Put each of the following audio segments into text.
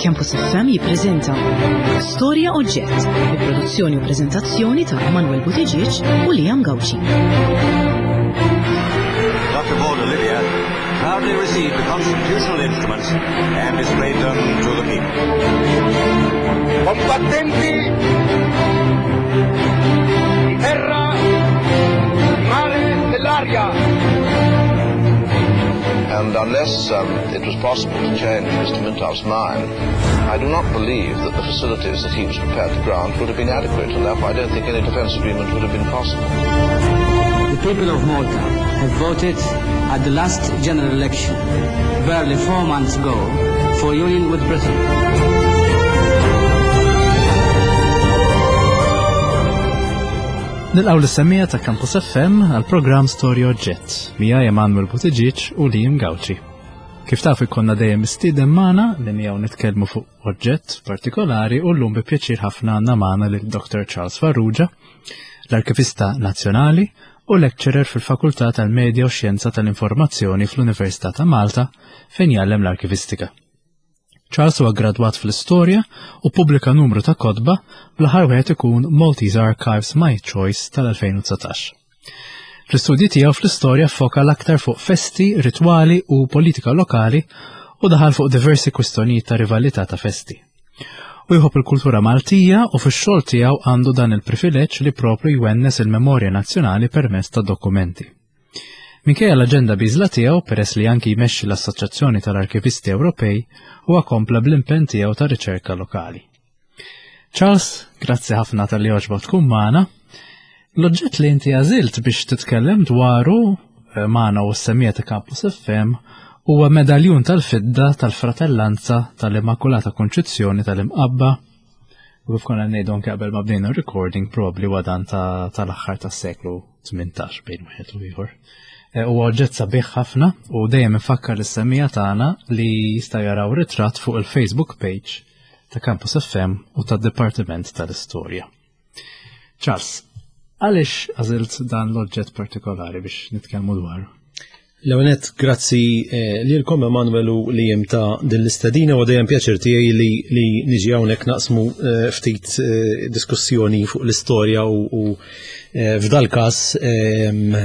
Campus FM jippreżenta Storja Oġġett bi produzzjoni u preżentazzjoni ta' Emanuel Buttigieg u Liam Gauci. Dr. Paul Olivia proudly received the constitutional instruments and displayed them to the people. Combattenti di terra, di mare, dell'aria. And unless um, it was possible to change Mr. Mintoff's mind, I do not believe that the facilities that he was prepared to grant would have been adequate, and therefore I don't think any defence agreement would have been possible. The people of Malta have voted at the last general election, barely four months ago, for union with Britain. Nilqaw l-semmija ta' Campus FM għal programm Storja Oġġett mija Emanuel Buttigieg u Liam Gauci. Kif taf ikonna dejjem mistieden magħna li miegħu nitkellmu fuq oġġett partikolari u llum bi pjaċir ħafna għandna magħna lil Dr. Charles Farrugia, l-Arkivista Nazzjonali u lecturer fil-Fakultà tal-Medja u Xjenza tal-Informazzjoni fl-Università ta' Malta fejn jgħallem l-arkivistika. Charles huwa gradwat fl-istorja u pubblika numru ta' kotba bl-aħħar wieħed ikun Maltese Archives My Choice tal-2019. Fl-istudji tiegħu fl-istorja foka l-aktar fuq festi, ritwali u politika lokali u daħal fuq diversi kwistjonijiet ta' rivalità ta' festi. U jħobb il-kultura Maltija u fix-xogħol tiegħu għandu dan il-privileġġ li propju jwennes il-memorja nazzjonali permezz ta' dokumenti. Minkejja l-aġenda biżla tiegħu peress li anki jmexxi l-Assoċjazzjoni tal-Arkivisti Ewropej, huwa kompla bl-impenn tiegħu ta' riċerka lokali. Charles, grazzi ħafna tal-li għoġbok tkun magħna. L-oġġett li inti għażilt biex titkellem dwaru eh, magħna u s-semija ta' Campus FM huwa medaljun tal-fidda tal-Fratellanza tal-Immakulata Konċizzjoni tal-Imqabba u kif konna ngħidu anke qabel ma bdejna recording probabbli huwa dan tal-aħħar tas-seklu 18 bejn wieħed u ieħor. Eh, huwa oġġett sabiħ ħafna u dejjem infakkar lis-semija tagħna li jista' jaraw ritratt fuq il-Facebook page ta' Campus FM u tad-Dipartiment tal-Istorja. Charles, għaliex għażilt dan l-oġġett partikolari biex nitkellmu dwaru? L-ewwel grazzi eh, lilkom Emanuel u li jem ta' din l-istedina u dejjem pjaċir tiegħi li, li niġi hawnhekk naqsmu eh, ftit eh, diskussjoni fuq l-istorja u, f'dal każ ehm,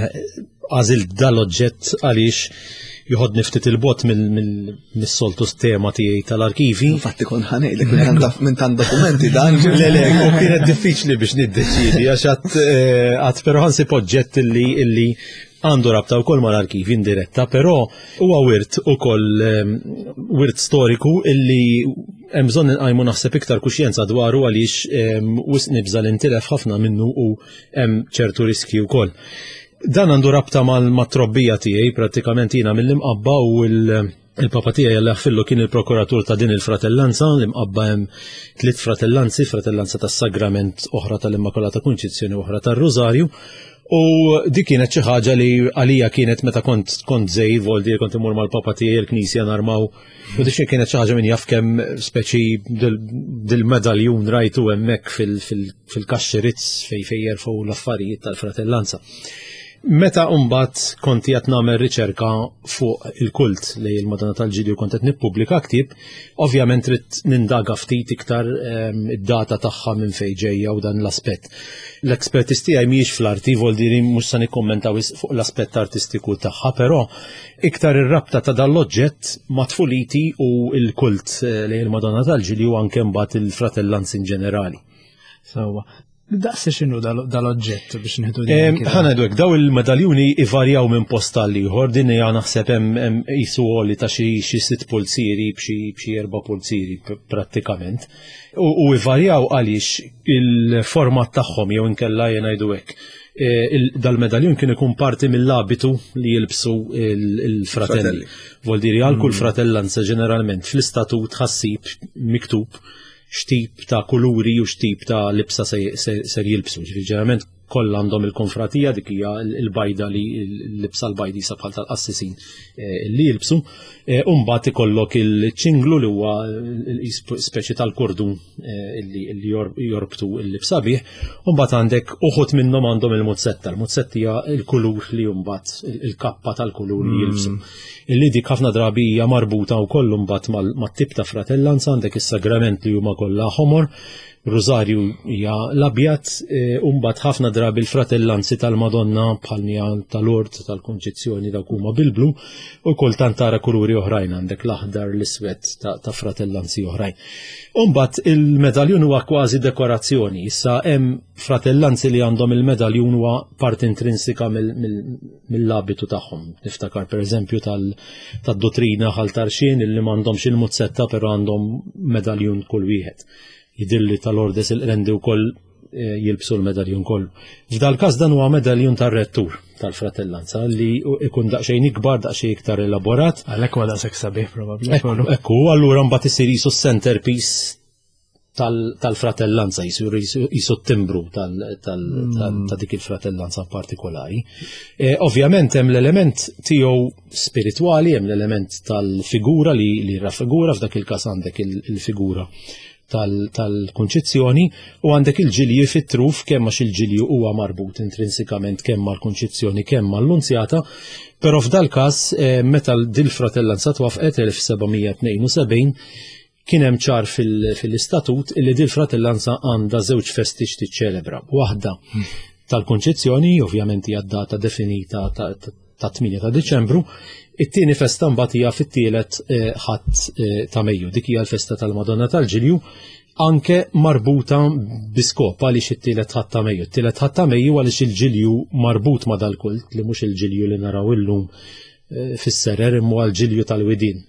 għażilt dal-oġġett għaliex joħodni ftit il-bot mis-soltu tema tiegħi tal-arkivi. Infatti kon ħanejlek minn tant dokumenti dan. Le le, u kienet diffiċli biex niddeċidi għax għad eh, però ħansib oġġett illi illi għandu rabta wkoll mal-arkivi indiretta, però huwa wirt ukoll ehm, wirt storiku illi hemm bżonn inqajmu naħseb iktar kuxjenza dwaru għaliex ehm, wisq nibża' li ntilef ħafna minnu u hemm ċertu riski wkoll. Dan għandu rabta mal-trobbija tiegħi prattikament jiena mill-imqabba u il-papa tiegħi Alla jaħfirlu kien il-prokuratur ta' din il-fratellanza, l-imqabba hemm tliet fratellanzi, fratellanza tas-Sagrament, oħra tal-Immakolata Kunċizzjoni u oħra tar-Rużarju. U dik kienet xi ħaġa li għalija kienet meta kont kont żgħir, voldi kont imur mal-papa tiegħi l-knisja narmaw. U dik kienet xi ħaġa min jaf kemm speċi dil-medaljun rajtu hemmhekk fil-kaxxi rizz fej fej jerfgħu l-affarijiet tal-fratellanza. Meta mbagħad kont qed nagħmel riċerka fuq il-kult li il-Madonna tal-Ġilju kont qed nippubblika ktieb, ovvjament trid nindaga ftit iktar ehm, id-data tagħha minn fejn ġejja u dan l-aspett. L-expertise tiegħi mhijiex fl-arti, voldiri mhux se nikkommenta fuq l-aspett artistiku tagħha, però iktar ir-rabta ta' dan l-oġġett ma' tfuliti u l-kult eh, lejn il-Madonna tal-Ġilju anke mbagħad il-fratellanzi in ġenerali. Sewwa. Daqs x'inhu dal-oġġett biex nieħdu din. Ħa ngħidu hekk, daw il-medaljuni ivarjaw minn post għal ieħor, din hija naħseb hemm qisu għoli ta' xi sitt pulzieri b'xi erba' pulzieri prattikament. U ivarjaw għaliex il-format tagħhom jew inkella jien ngħidu hekk. E, dal-medaljun kien ikun parti mill-abitu li jilbsu il-fratelli. Vuol dire għal kull mm. fratellanza ġeneralment fl-istatut ħassib miktub x'tip ta' kuluri u x'tip ta' libsa ser jilbsu. Ġifieri ġeneralment Kollha għandhom il-konfratija dik hija l-bajda li l-libsa l-bajdi sa bħal tal-qassisin eh, li jilbsu. Eh, u mbagħad ikollok il-ċinglu li huwa speċi tal-kordun eh, li jorbtu l-libsa bih. U mbagħad għandek uħud minnhom għandhom il-muzzetta. Il-muzzetta hija l-kulur li mbagħad il-kappa tal-kulur li jilbsu. Illi dik ħafna drabi hija marbuta wkoll mbagħad mat-tip ta' fratellanza għandek is-sagrament li huma kollha ħomor Rużarju hija l-abjad e, u mbagħad ħafna drabi l-fratellanzi tal-Madonna bħal mija tal-Ord tal-Kunċizzjoni dawk huma bil-blu u kultant tara kuluri oħrajn għandek l-aħdar l-iswed ta' fratellanzi oħrajn. U mbagħad il-medaljun huwa kważi dekorazzjoni. Issa hemm fratellanzi li għandhom il-medaljun huwa parti intrinsika mill-abitu tagħhom. Niftakar pereżempju tad-dottrina ħal tarxien illi m'għandhomx il-muzzetta però għandhom medaljun kull wieħed. Jidhirli tal-Ordes il-Qrendi wkoll eh, jilbsu l-medaljun kollu. F'dal każ dan huwa medaljun tar-rettur tal-fratellanza li ikun daqsxejn ikbar, daqsxejn iktar elaborat. Għalhekk huwa daqshekk sabiħ probabbli. Ekku, allura mbagħad isir jisu centerpiece tal-fratellanza, jisu t-timbru ta' dik il-fratellanza partikolari. Eh, ovvjament hemm l-element tiegħu spiritwali, hemm l-element tal-figura li, li raffigura, f'dak il-każ għandek il-figura tal-kunċizzjoni u għandek il-ġilji fit-truf kemm għax il-ġilju huwa marbut intrinsikament kemm mal-kunċizzjoni kemm mal-lunzjata, però f'dal każ eh, meta dil-fratellanza twafqet 1772 Kien hemm ċar fil-istatut illi dil-fratellanza għandha żewġ festi x'tiċċelebra. Waħda tal-Kunċizzjoni, ovvjament hija d-data definita ta' 8 ta' Diċembru, it-tieni festa mbagħad hija fit-tielet eh, ħadd eh, ta' Mejju, dik hija l-festa tal-Madonna tal-Ġilju, anke marbuta biskop għaliex it-tielet ħadd ta' Mejju. It-tielet ħadd ta' Mejju għaliex il-Ġilju marbut ma' dal-kult li mhux il-Ġilju li naraw illum Eh, fis-serer imma għal-ġilju tal-widin.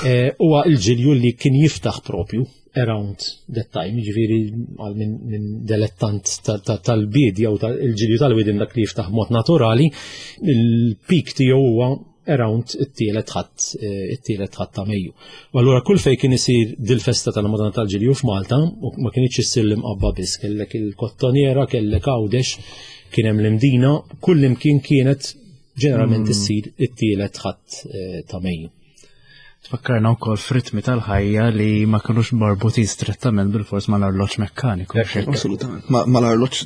Eh, huwa il-ġilju li kien jiftaħ propju around that time, ġifiri għal minn delettant tal-bidja u il-ġilju tal-widin dak li jiftaħ mod naturali, il-pik tiegħu huwa around it-tielet ħadd eh, it-tielet ħadd ta' Mejju. U allura kull fejn kien isir dil-festa tal-Madonna tal-Ġilju f'Malta, u ma kienx issir l-imqabba biss, kellek il-Kottoniera, kellek Għawdex, kien hemm l-Imdina, kull imkien kienet ġeneralment mm. issir it-tielet ħadd eh, ta' Mejju. Tfakkarna wkoll f'ritmi tal-ħajja li ma kinux marbutin strettament bil-fors mal-arloġġ mekkaniku. Assolutament, mal-arloġġ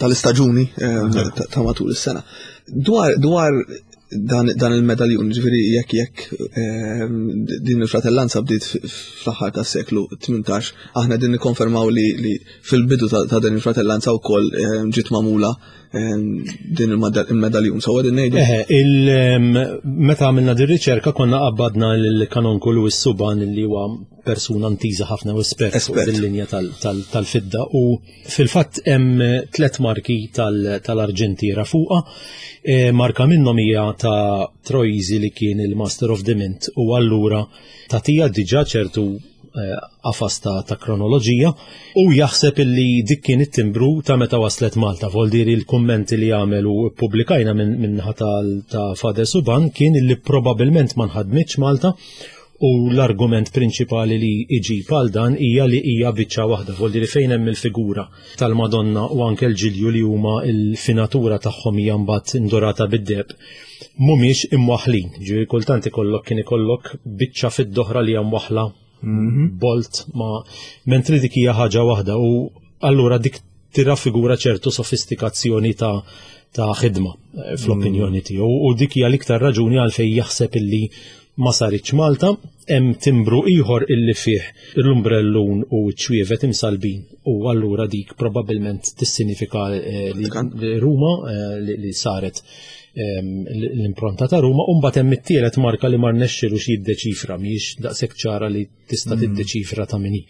tal-istaġuni eh, ta' matul is-sena. Dwar dwar dan il-medaljun, ġifieri jekk jekk eh, din il-fratellanza bdiet fl-aħħar tas-seklu 18, aħna din nikkonfermaw li fil-bidu ta' din il-fratellanza wkoll ġiet magħmula din il-medaljun, so għedin nejdu. Meta għamilna din riċerka konna qabbadna l-kanonku Louis Suban li huwa persuna ntiża ħafna u espert fuq din-linja tal-fidda u fil-fatt hemm tlet marki tal-arġentiera fuqha. E, marka minnhom hija ta' Troisi li kien il-Master of the Mint u allura tagħtiha diġà ċertu eh, qafas ta', ta kronoloġija u jaħseb illi dik kien it-timbru ta' meta waslet Malta. Voldiri l-kummenti li għamel u ppubblikajna minn min ta', ta Fader Suban kien illi probabilment ma nħadmitx Malta u l-argument prinċipali li iġib għal dan hija li hija biċċa waħda, voldiri fejn hemm il-figura tal-Madonna u anke l-ġilju li huma l-finatura tagħhom hija mbagħad indurata bid-deheb mhumiex imwaħħlin. Ġifieri kultant ikollok kien ikollok biċċa fid-doħra li hija mwaħħla mhm. bolt ma mentri dik hija ħaġa waħda u allura dik tirraffigura ċertu sofistikazzjoni ta' ta' ħidma eh, fl-opinjoni mm. tiegħu u dik hija l-iktar raġuni għalfejn jaħseb illi ma saritx Malta, hemm timbru ieħor illi fih l-umbrellun u ċ-ċwievet imsallbin u allura dik probabbilment tissinifika eh, li Ruma eh, li saret ehm, l-impronta ta' Ruma u mbagħad hemm it-tielet marka li ma rnexxilux jiddeċifra mhijiex daqshekk ċara li tista' mm. tiddeċifra ta' min hi.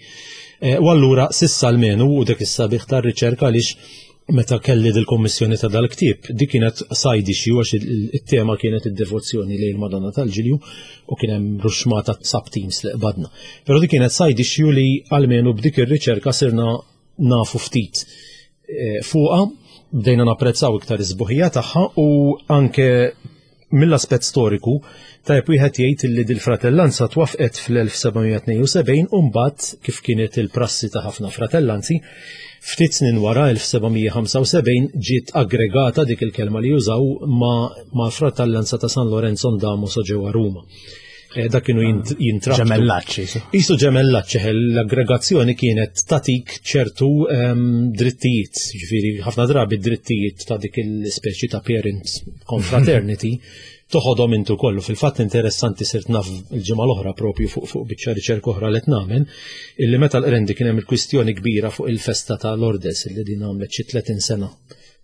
Eh, u allura sissa almenu u dak is-sabiħ tar-riċerka għaliex meta kelli dil-kommissjoni ta' dal-ktieb, dik kienet side issue għax it-tema kienet id-devozzjoni lejn Madonna tal-Ġilju u kien hemm ruxmata sub-teams li qbadna. Però dik kienet side issue li almenu b'dik ir-riċerka sirna nafu ftit eh, fuqha, bdejna napprezzaw iktar is-sbuħija tagħha u anke Mill-aspett storiku, tajjeb wieħed jgħid li dil-fratellanza twaffqet fl-1772 u mbagħad, kif kienet il-prassi ta' ħafna fratellanzi, ftit snin wara 1775 ġiet aggregata dik il-kelma li jużaw ma' fratellanza ta' San Lorenzo Damaso ġewwa Ruma. Eh, dak kienu ah, jintrabtu. Ġemellaċċi. Isu ġemellaċċi, l-aggregazzjoni kienet tatik ċertu ehm, drittijiet, ġifieri ħafna drabi drittijiet ta' dik il-speċi ta' parent confraternity toħodhom intu kollu. Fil-fatt interessanti sirt naf il-ġimgħa l-oħra propju fuq fuq biċċa riċerka oħra li nagħmel, illi meta l-qrendi kien hemm il-kwistjoni kbira fuq il-festa ta' Lordes illi din għamlet xi 30 sena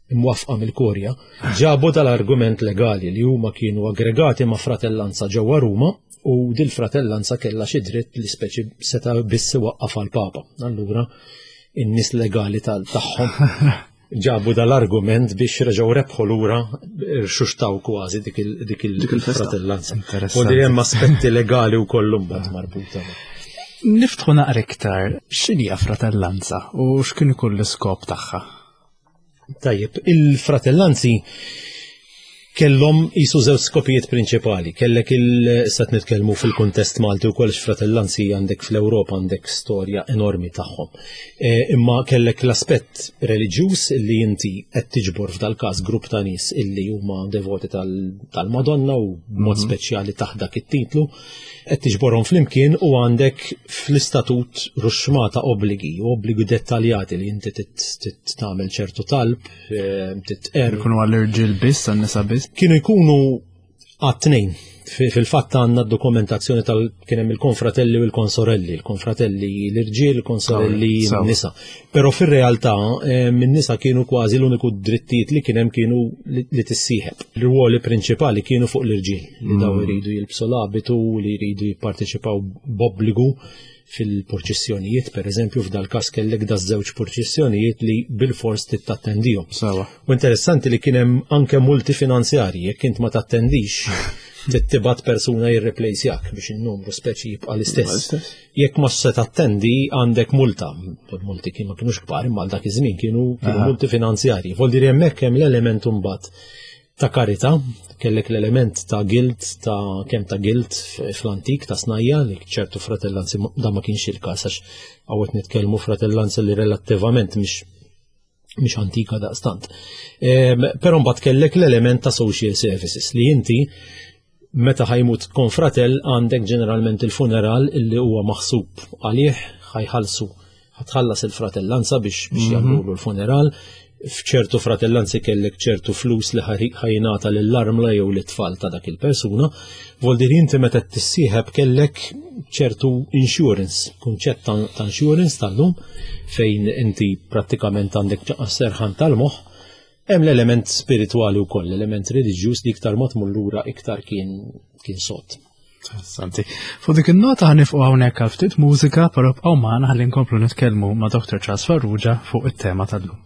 imwaffqa mill-Kurja, ġabu dal-argument legali li huma kienu aggregati ma' fratellanza ġewwa Ruma u dil-fratellanza kellha xi dritt li speċi seta' biss iwaqqaf għall-Papa. Allura in-nies legali tagħhom ġabu dal-argument biex reġgħu rebħu lura rxuxtaw kważi dik il-fratellanza. U di hemm aspetti legali wkoll mbagħad marbuta. Niftħu naqra iktar x'inhi fratellanza u x'kien ikun l-iskop tagħha? Tajjeb, il-fratellanzi kellhom jisu żewġ skopijiet prinċipali. Kellek il sat nitkellmu fil-kuntest Malti wkoll fratellanzi għandek fl-Ewropa għandek storja enormi tagħhom. E, imma kellek l-aspett reliġjuż li inti qed tiġbor f'dal-każ grupp ta' nies illi huma devoti tal-Madonna u b'mod mhm. speċjali taħt dak it-titlu qed tiġborhom flimkien u għandek fl-istatut ruxxmata obbligi u obbligi dettaljati li inti tagħmel ċertu talb, eh, titqer. Kienu għall-irġiel biss, għan-nisa biss? Kienu jkunu għat-tnejn. Fil-fatt għandna dokumentazzjoni tal kien hemm il-konfratelli u l-konsorelli, il-konfratelli l-irġiel, il-konsorelli n-nisa. Però fir-realtà eh, min-nisa kienu kważi l-uniku drittijiet li kien hemm kienu li tissieħeb. L-ruoli prinċipali kienu fuq l-irġiel li daw mm. iridu jilbsu l-abitu, li jridu jipparteċipaw b'obbligu fil-purċissjonijiet, per eżempju, f'dal każ kellek da żewġ purċissjonijiet li bil-fors tittattendihom. Sawa. U interessanti li kien hemm anke multi finanzjarji, jekk int ma tattendix, tittibat persuna jirreplejsjak biex in-numru speċi jibqa' l-istess. Jekk ma se tattendi għandek multa. Multi kien ma kienux kbar imma dak iż-żmien kienu kienu multi finanzjarji. Vol dir hemmhekk hemm l-element imbagħad ta' karità, kellek l-element ta' guilt, ta' kemm ta' guilt fl-antik ta' snajja li ċertu fratellanzi da ma kienx il-każ għax hawn nitkellmu fratellanza li relattivament mhix mhix antika daqstant. Però mbagħad kellek l-element ta' social services li inti meta ħajmut konfratel għandek ġeneralment il-funeral illi huwa maħsub għalih ħajħallsu ħatħallas il-fratellanza biex biex mhm. jagħmlu l-funeral. F'ċertu fratellanzi kellek ċertu flus li ħajnata lill-armla jew lit-tfal ta' dak il-persuna. Voldir inti meta tissieħeb kellek ċertu insurance, kunċett ta' insurance tal-lum fejn inti prattikament għandek serħan tal-moħħ, hemm l-element spiritwali wkoll, l-element reliġjuż li iktar ma tmur lura iktar kien kien sod. Interessanti. Fuq dik in-nota ħanifqu hawnhekk għal ftit mużika, però bqgħu magħna ħalli nkomplu nitkellmu ma' Dr. Charles Farrugia fuq it-tema tal-lum.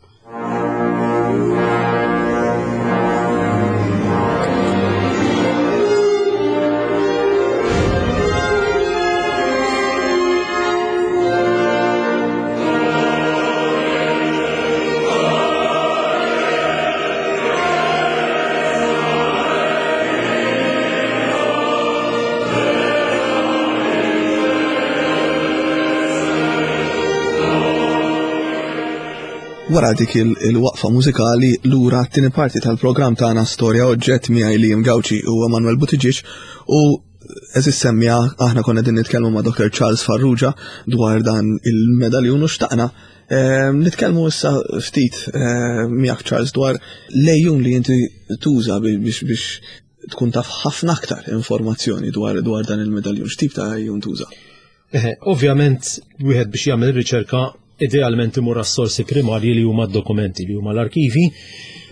Wara dik il-waqfa mużikali lura t-tieni parti tal-programm tagħna Storja Oġġett miegħi Liam Gauci u Emanuel Buttigieg u eżis semmija aħna konna din nitkellmu ma' Dr. Charles Farrugia dwar dan il-medaljun u xtaqna ehm, nitkellmu issa ftit ehm, miegħek Charles dwar lejjun li inti tuża biex biex tkun taf ħafna aktar informazzjoni dwar dwar dan il-medaljun. X'tip ta' għejjun tuża? Eh, ovvjament, wieħed biex jagħmel riċerka idealment imur għas-sorsi primarji li huma d-dokumenti li huma l-arkivi.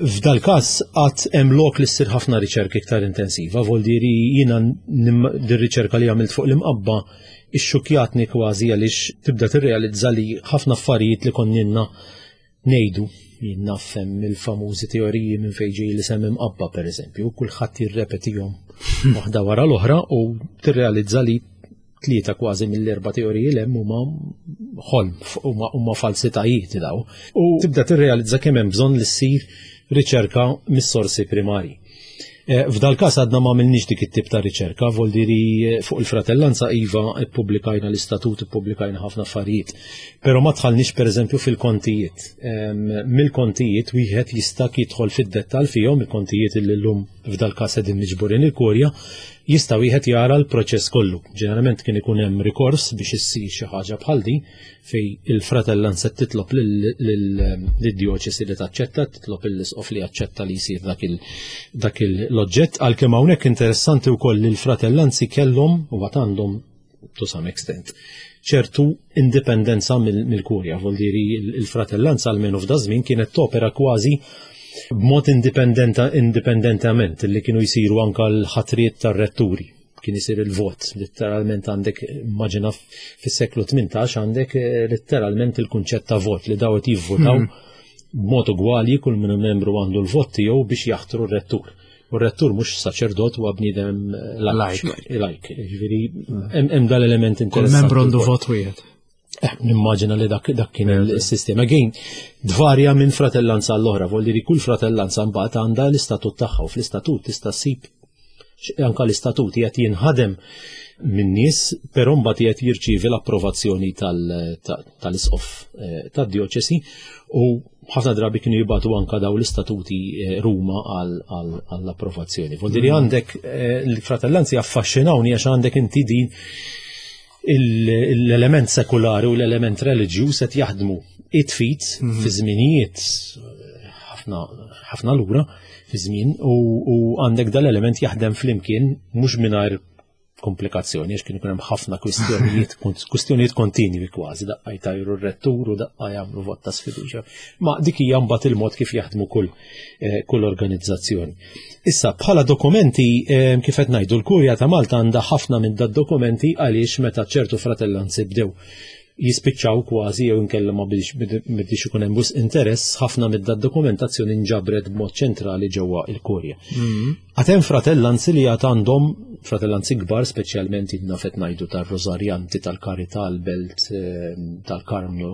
F'dal każ qatt hemm lok li ssir ħafna riċerka iktar intensiva, vol diri jiena dir-riċerka li għamilt fuq l-imqabba ixxukjatni kważi għaliex tibda tirrealizza li ħafna affarijiet li konninna ngħidu, jien naf hemm il-famużi teoriji minn fejn ġej l-isem imqabba pereżempju, kulħadd jirrepetihom waħda wara l-oħra u tirrealizza li tlieta kważi mill-erba' teoriji l hemm huma ħolm, huma falsitajiet daw. U tibda tirrealizza kemm hemm bżonn li ssir riċerka mis-sorsi primarji. Eh, f'dal każ għadna ma għamilniex dik it-tip ta' riċerka, voldiri eh, fuq il-fratellanza iva ippubblikajna l-istatut, ippubblikajna ħafna affarijiet. Però ma dħalniex pereżempju fil-kontijiet. Mill-kontijiet wieħed jista' jidħol fid-dettall fihom il-kontijiet li llum f'dal każ qegħdin miġburin il-kurja, jista' wieħed jara l-proċess kollu. Ġeneralment kien ikun hemm rikors biex issir xi ħaġa bħal din fej il-fratellanza titlob lid-djoċesi li taċċetta, titlob l-isqof li jaċċetta li jsir dak l-oġġett, għalkemm hawnhekk interessanti wkoll li l-fratellanzi kellhom u għad għandhom to some extent ċertu indipendenza mill-kurja, vuol diri il-fratellanza almenu f'da żmien kienet topera kważi b'mod indipendentament li kienu jsiru anka l-ħatriet tar-retturi kien isir il-vot, letteralment għandek, immaġina fis-seklu 18 għandek eh, letteralment il-kunċett ta' vot li dawet jivvotaw mhm. b'mod ugwali kull minn membru għandu l-vot tiegħu biex jaħtru r-rettur. U r-rettur mhux saċerdot huwa bniedem eh, lajk. Lajk, ġifieri mhm. hemm dal-element interessanti. Kull membru għandu vot wieħed. Eh, nimmaġina li dak dak kien il-sistema. Again, dvarja minn fratellanza għall-oħra, volli li kull fratellanza mbagħad għandha l-istatut tagħha u fl-istatut tista' ssib anka l-istatut qed jinħadem minn nies, però mbagħad qed jirċievi l-approvazzjoni tal-isqof eh, tad-djoċesi u ħafna drabi kienu jibatu anka daw l-istatuti eh, Ruma għall-approvazzjoni. Volli li mm. għandek l-fratellanzi affaxxinawni għax għandek inti din l-element sekulari u l-element reliġjuż qed jaħdmu it-fit mhm. fi żminijiet ħafna lura fi żmien u għandek dal-element jaħdem flimkien mhux mingħajr komplikazzjoni għax kien ikun hemm ħafna kwistjonijiet kwistjonijiet kontinwi kważi daqqa jtajru r-rettur u daqqa jagħmlu vot ta' sfiduċja. Ma dik hija mbagħad il-mod kif jaħdmu kull eh, kull organizzazzjoni. Issa, bħala dokumenti, eh, kif qed ngħidu, l-Kurja ta' Malta għandha ħafna minn dad-dokumenti għaliex meta ċertu fratellanzi bdew jispiċċaw kważi jew inkella ma bidix ikun hemm wisq interess, ħafna minn dad-dokumentazzjoni nġabret b'mod ċentrali ġewwa il-Kurja. Mm. Għad hemm fratellanzi li għad għandhom fratellanzi kbar, speċjalment nafet ngħidu tar-Rosarjanti, tal-Karità, l-Belt, eh, tal-Karmnu,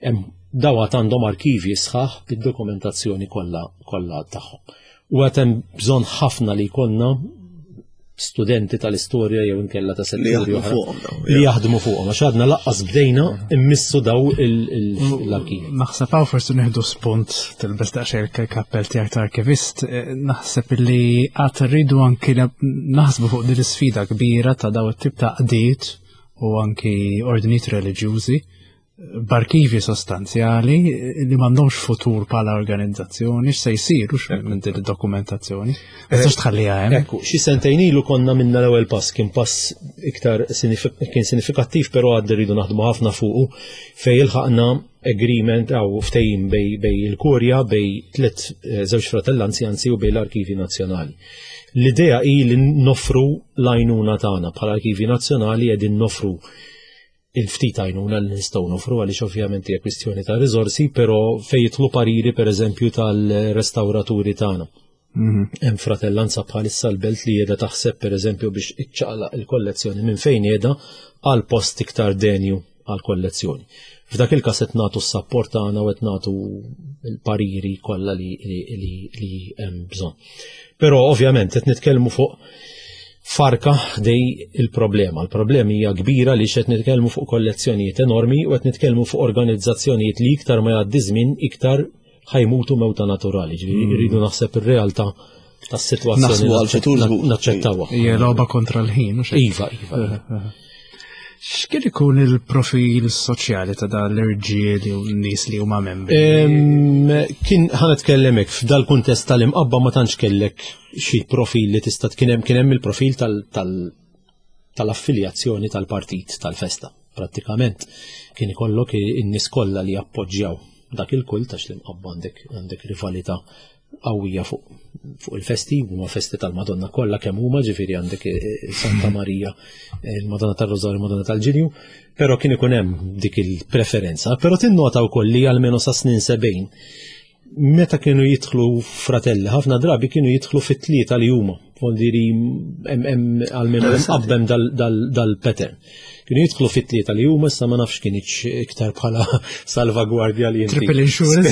hemm daw għad għandhom arkivji sħaħ bid-dokumentazzjoni kollha kollha tagħhom. U għad hemm bżonn ħafna li jkollna studenti tal-istorja jew inkella ta' setturi oħra li jaħdmu fuqhom għax għadna laqqas bdejna immissu daw l-arkivi. Naħseb hawn forsi nieħdu spunt tilbes daqsxejn il-kappell tiegħek ta' arkivist, eh, naħseb li għad rridu anki naħsbu fuq din l-isfida kbira ta' daw it-tip ta' qdiet u anki ordnijiet reliġjużi b'arkivi sostanzjali li m'għandhomx futur bħala organizzazzjoni, x'se jsir u minn din id-dokumentazzjoni. Ma tistax tħalliha hemm. Ekku, xi sentejn ilu konna minna l-ewwel pass kien pass iktar kien sinifikattiv però għad rridu naħdmu ħafna fuqu fejn ilħaqna agreement għaw ftehim bej il-Kurja bej tliet eh, żewġ fratellanzi anzi u bej l-Arkivi Nazzjonali. L-idea hi li noffru l-għajnuna tagħna bħala Arkivi Nazzjonali qegħdin noffru il-ftit għajnuna li nistgħu nofru għaliex ovvjament hija kwistjoni ta' riżorsi, però fejn jidħlu pariri pereżempju tal-restawraturi tagħna. Mhm. Hemm fratellanza bħalissa l-belt li qiegħda taħseb pereżempju biex iċċaqlaq il-kollezzjoni minn fejn qiegħda għal post iktar denju għal kollezzjoni. F'dak il-każ qed nagħtu s-sapport tagħna u qed nagħtu l-pariri kollha li hemm bżonn. Però ovvjament qed nitkellmu fuq farka ħdej il-problema. Il-problema hija kbira li qed nitkellmu fuq kollezzjonijiet enormi u qed nitkellmu fuq organizzazzjonijiet li iktar ma jgħaddi żmien iktar ħajmutu mewta naturali. Ġifieri mm. rridu naħseb ir-realtà tas-sitwazzjoni. Naħsbu għal-futur naċċettawha. Hija logħba kontra l-ħin, Iva, iva. Eh, eh. X'kien ikun il-profil soċjali ta' dan l-irġiel u n-nies li huma membri? Kien ħa nitkellem hekk f'dal kuntest tal-imqabba ma tantx kellek xi profil li tista' kien hemm kien hemm il-profil tal-affiljazzjoni tal-partit tal-festa. Prattikament kien ikollok in-nies kollha li jappoġġjaw dak il-kult għax l-imqabba għandek għandek rivalità qawwija fuq fuq il-festi, huma festi tal-Madonna kollha kemm huma, ġifieri għandek eh, eh, Santa Marija, eh, il-Madonna tar-Rożarju, il-Madonna tal-Ġilju, però kien ikun hemm dik il-preferenza, però tinnota wkoll li almenu sa snin sebgħin meta kienu jidħlu fratelli, ħafna drabi kienu jidħlu fit-tlieta li huma. Vuol hemm għalmenu qabbem dal-pattern. Kienu jidħlu fit-tlieta li huma issa ma nafx kienx iktar bħala salvagwardja li inti. Triple insurance.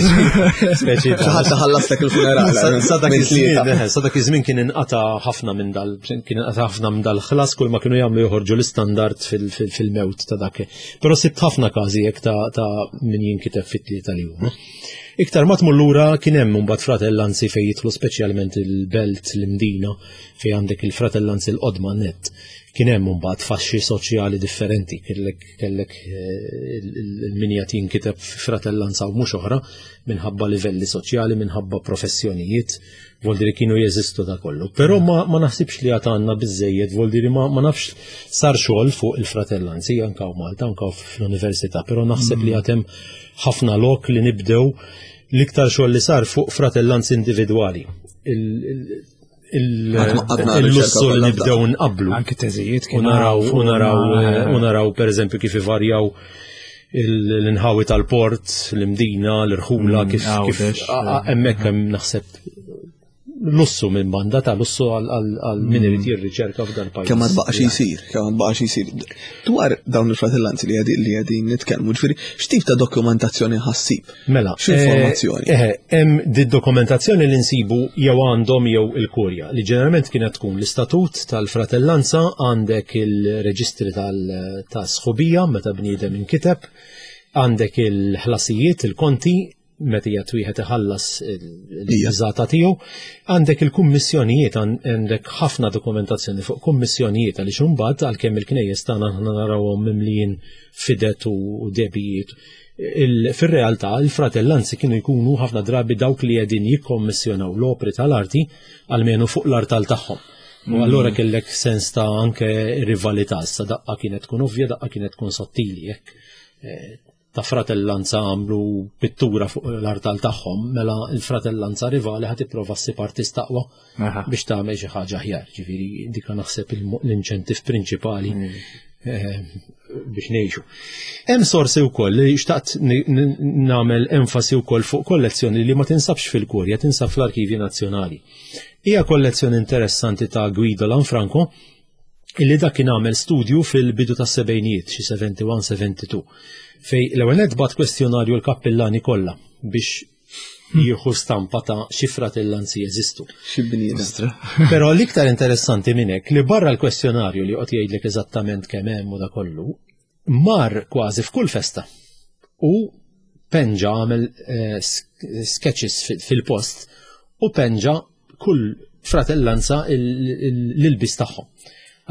Speċi ħadd ħallaslek il-funeral. Sa dak iż-żmien, eh, sa dak iż-żmien kien inqata' ħafna minn dal kien inqata' ħafna minn dal-ħlas kull ma kienu jagħmlu joħorġu l-istandard fil-mewt ta' dak. Però sibt ħafna każi jekk ta' min jinkiteb fit-tlieta li huma. Iktar ma tmur lura kien hemm imbagħad fratellanzi fejn jidħlu speċjalment il-belt l-Imdina fejn għandek il-fratellanzi l-qodma net. Kien hemm imbagħad faxxi soċjali differenti, kellek kellek eh, il-min jagħti jinkiteb fratellanza u mhux oħra minħabba livelli soċjali, minħabba professjonijiet, voldiri kienu jeżistu da kollu. Però ma, ma naħsibx li għad għandna biżejjed, voldiri ma, ma nafx sar xogħol fuq il-fratellanzi anka u Malta, anka fl-università, però naħseb li għad hemm ħafna lok li nibdew l-iktar xogħol li sar fuq fratellanzi individwali. Il-lussu li nibdew nqablu. Anki teżijiet u naraw u naraw u naraw pereżempju kif ivarjaw l-inħawi tal-port, l-imdina, l-irħula, mm, kif kif hemmhekk hemm naħseb lussu minn banda ta' lussu għal min irid mm. jirriċerka f'dan pajjiż. Kemm ma tbaqax jsir, kemm ma tbaqax jsir. Dwar dawn il-fratellanzi li għedi li għedin nitkellmu, ġifieri x'tip ta' dokumentazzjoni ħassib? Mela, x'informazzjoni? Eh, eh, hemm di dokumentazzjoni li nsibu jew għandhom jew il-kurja li ġeneralment kienet tkun l-istatut tal-fratellanza għandek il-reġistri tal-sħubija meta bniedem inkiteb, għandek il-ħlasijiet, il-konti, meta jgħat wieħed iħallas il-biżata tiegħu, għandek il-kummissjonijiet, għandek ħafna dokumentazzjoni fuq kummissjonijiet għaliex imbagħad għalkemm il-knejjes tagħna aħna narawhom mimlijin fidet u debijiet. Fir-realtà il-fratellanzi kienu jkunu ħafna drabi dawk li qegħdin jikkommissjonaw l-opri tal-arti għalmenu fuq l-artal tagħhom. U mm. allura kellek sens ta' anke rivalità, issa daqqa kienet tkun ovvja, daqqa kienet tkun sottili, jekk eh, ta' fratellanza għamlu pittura fuq l-artal tagħhom, mela l-fratellanza rivali ħad tipprova ssib artist aqwa biex tagħmel xi ħaġa aħjar. Ġifieri dika naħseb l-inċentiv prinċipali mm. eh, biex ngħixu. Hemm sorsi wkoll li xtaqt nagħmel enfasi wkoll fuq kollezzjoni li ma tinsabx fil-Kurja, tinsab fl-Arkivji Nazzjonali. Hija kollezzjoni interessanti ta' Guido Lanfranco illi dak kien għamel studju fil-bidu tas-sebgħinijiet, xi 71-72, fej l-ewwel nett bat kwestjonarju l-kappillani kollha biex jieħu stampa ta' xi fratellanzi jeżistu. Xi bniedem. Però l-iktar interessanti minn hekk li barra l-kwestjonarju li qed jgħidlek eżattament kemm hemm u da kollu, mar kważi f'kull festa u penġa għamel eh, sketches fil-post u penġa kull fratellanza l-ilbis tagħhom.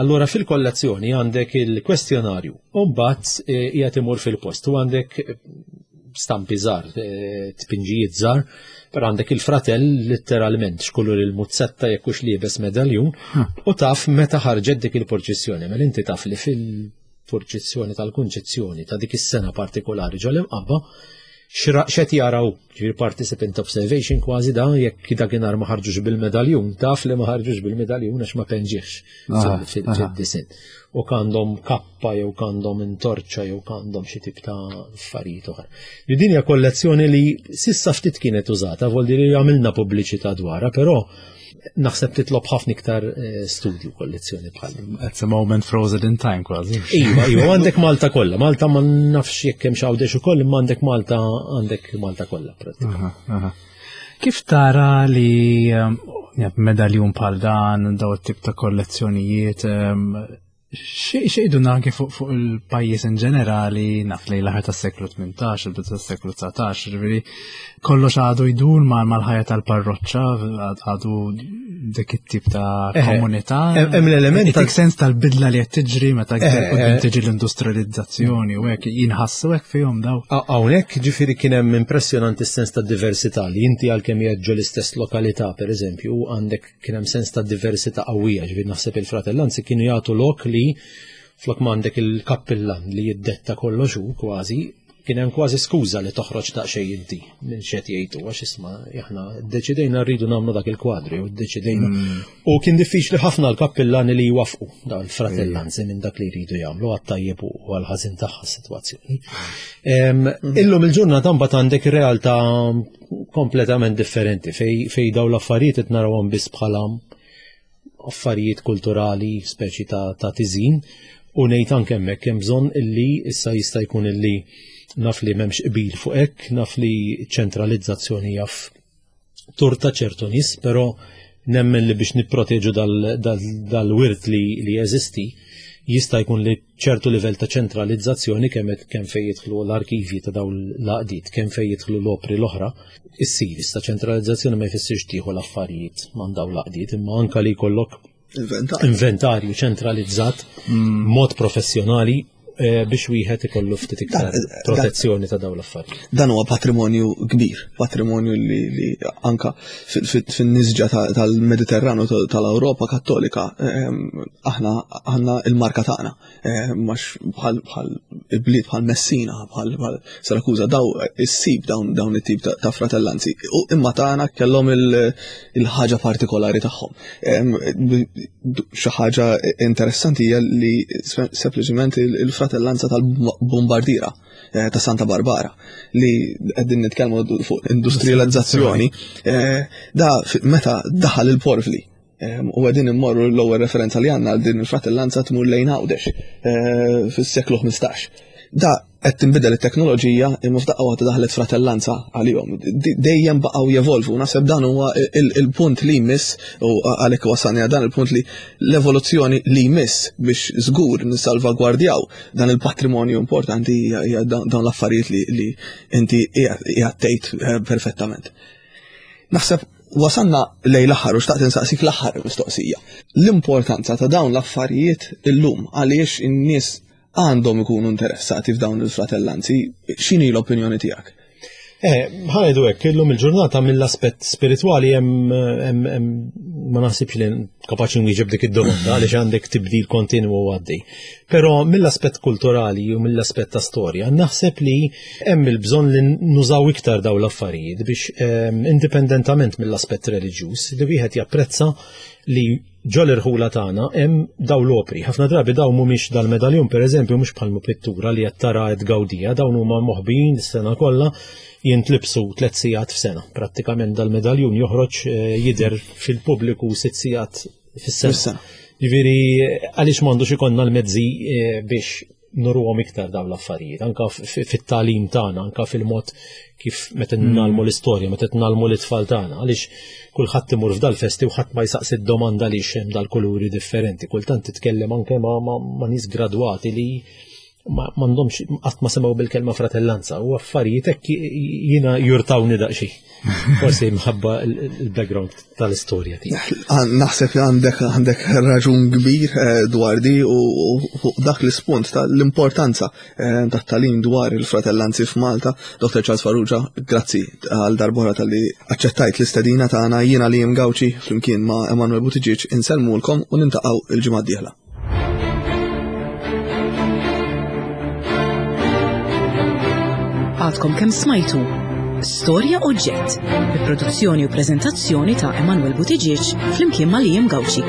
Allura fil-kollezzjoni għandek il-kwestjonarju u mbagħad eh, qiegħed imur fil-post u għandek eh, stampi żgħar, eh, tpinġijiet żgħar, però għandek il-fratell letteralment x'kulur il-muzzetta jekk hux liebes medaljun u taf meta ħarġet dik il-purċissjoni, mela inti taf li fil-purċissjoni tal-kunċezzjoni ta' dik is-sena partikolari ġol imqabba x'qed jaraw, ġifieri participant observation kważi da jekk dakinhar ma ħarġux bil-medaljun, taf li ma ħarġux bil-medaljun għax ma penġiex fid-disin. U għandhom kappa jew għandhom intorċa jew għandhom xi tip ta' affarijiet oħra. Li din hija kollezzjoni li sissa ftit kienet użata, vol li għamilna pubbliċità dwarha, però naħseb titlob ħafna iktar eh, studju kollezzjoni bħal. It's a moment frozen in time kważi. Iva, iva, għandek Malta kollha. Malta ma nafx jekk hemm x'għawdex ukoll, imma għandek Malta għandek Malta kollha pratikament. Kif tara li ehm, medaljun bħal dan, daw it-tip ta' kollezzjonijiet, ehm, Xejdu anke fuq fuq il-pajjiż in ġenerali, naf li l-aħħar tas-seklu 18, il-bidu tas-seklu 19, ġifieri kollox għadu jdur mal-ħajja tal-parroċċa, għadu dik it-tip ta' komunità. Hemm l-element ta' sens tal-bidla li qed tiġri meta qudiem tiġi l-industrializzazzjoni u hekk jinħassu hekk fihom daw. Hawnhekk ġifieri kien hemm impressjonanti s-sens ta' diversità li inti għalkemm qiegħed l-istess lokalità pereżempju għandek kien hemm sens ta' diversità qawwija, ġifieri naħseb il-fratellanzi kienu jagħtu lok li flok m'għandek il-kappillan li jiddetta kollox hu kważi, kien hemm kważi skuża li toħroġ daqsxejn inti minn xed jgħidu għax isma' aħna ddeċidejna rridu nagħmlu dak il-kwadri u ddeċidejna. Mm. U kien diffiċli ħafna l-kappillani li jwafqu dawn il-fratellanzi minn dak li jridu jagħmlu għat-tajjeb u għall-ħażin tagħha s-sitwazzjoni. Mm. Illum il-ġurnata mbagħad għandek realtà kompletament differenti fej, fej daw l-affarijiet qed narawhom biss bħala affarijiet kulturali speċi ta', ta tiżin u ngħid anke hemmhekk hemm bżonn illi issa jista' jkun illi naf li m'hemmx qbil fuq hekk, naf li ċentralizzazzjoni jaf turta ċertu nies, però nemmen li biex nipproteġu dal-wirt li, li jeżisti jista' jkun li ċertu livell ta' ċentralizzazzjoni kemm kemm fejn jidħlu l-arkivji ta' dawn l-għaqdiet, kemm fejn jidħlu l-opri l-oħra, issir issa ċentralizzazzjoni ma jfissirx tieħu l-affarijiet man dawn l-għaqdiet, imma anka li jkollok inventarju ċentralizzat mm. mod professjonali eh, biex wieħed ikollu ftit iktar protezzjoni ta' dawn l-affarijiet. Dan huwa patrimonju kbir, patrimonju li, li anka fin-nisġa tal-Mediterranu tal-Ewropa Kattolika ehm, aħna għandna il-marka tagħna ehm, max bħal bliet bħal Messina, bħal Sirakuża daw issib dawn dawn it-tip ta' fratellanzi. U imma tagħna kellhom il-ħaġa partikolari tagħhom. Ehm, xi ħaġa interessanti hija li sempliċement il-fratellanza tal-Bombardira eh, ta' Santa Barbara li qegħdin nitkellmu fuq industrializzazzjoni eh, da meta daħal il-porfli eh, u għedin immorru l-ewwel referenza li għandna għal din il-fratellanza tmur lejn Għawdex fis-seklu 15. Da qed tinbidel it-teknoloġija imma f'daqqa waħda daħlet fratellanza għalihom. Dejjem baqgħu jevolvu. Naħseb dan huwa il-punt li jmiss u għalhekk wasalni dan il-punt li l-evoluzzjoni li jmiss biex żgur nissalvagwardjaw dan il-patrimonju importanti hija dawn l-affarijiet li inti qiegħed tgħid eh, perfettament. Naħseb wasanna lej l-aħħar u xtaqt insaqsik l-aħħar mistoqsija. L-importanza ta' dawn l-affarijiet illum għaliex in-nies għandhom ikunu interessati f'dawn il-fratellanzi, x'inhi l-opinjoni tiegħek? Eh, ħajdu hekk, illum il-ġurnata mill-aspett spiritwali hemm ma naħsibx li kapaċi nwieġeb dik id-domanda għaliex għandek tibdil kontinwu għaddej. Però mill-aspett kulturali u mill-aspett ta' storja, naħseb li hemm il-bżonn li nużaw iktar dawn l-affarijiet biex ehm, indipendentament mill-aspett reliġjuż li wieħed japprezza li Ġo l-irħula tagħna hemm dawn l-opri. Ħafna drabi dawn mhumiex dal-medaljun pereżempju mhux bħal pittura li qed tara qed tgawdija, dawn huma moħbijin is-sena kollha jintlibsu tliet sigħat f'sena. Prattikament dal-medaljun joħroġ eh, jidher fil-pubbliku sitt sigħat fis-sena. Ġifieri għaliex m'għandux ikollna l-mezzi eh, biex nuruhom iktar dawn l-affarijiet, anka fit-tagħlim tagħna, anka fil-mod kif meta mm. nagħlmu l-istorja, meta nagħlmu l-itfal tagħna, għaliex kulħadd imur f'dal-festi u ħadd ma jsaqsi d-domanda għaliex hemm dal-kuluri differenti. Kultant titkellem anke ma, ma, ma nies gradwati li m'għandhomx qatt ma semgħu bil-kelma fratellanza u affarijiet hekk jiena jurtawni daqsxejn. Forsi mħabba il-background tal-istorja tiegħek. Naħseb li għandek għandek raġun kbir eh, dwar di u fuq dak l-ispunt tal-importanza eh, tat-talim dwar il-fratellanzi f'Malta. Dr. Charles Farrugia, grazzi għal darbora tal-li aċċettajt l-istedina tagħna jiena li Gawċi flimkien ma' Emanuel Buttigieg insellmulkom u nintaqgħu il-ġimgħa d-dieħla. Għadkom kemm smajtu Storja Oġġett, bi produzzjoni u preżentazzjoni ta' Emanuel Buttigieg flimkien ma' Liam Gauci.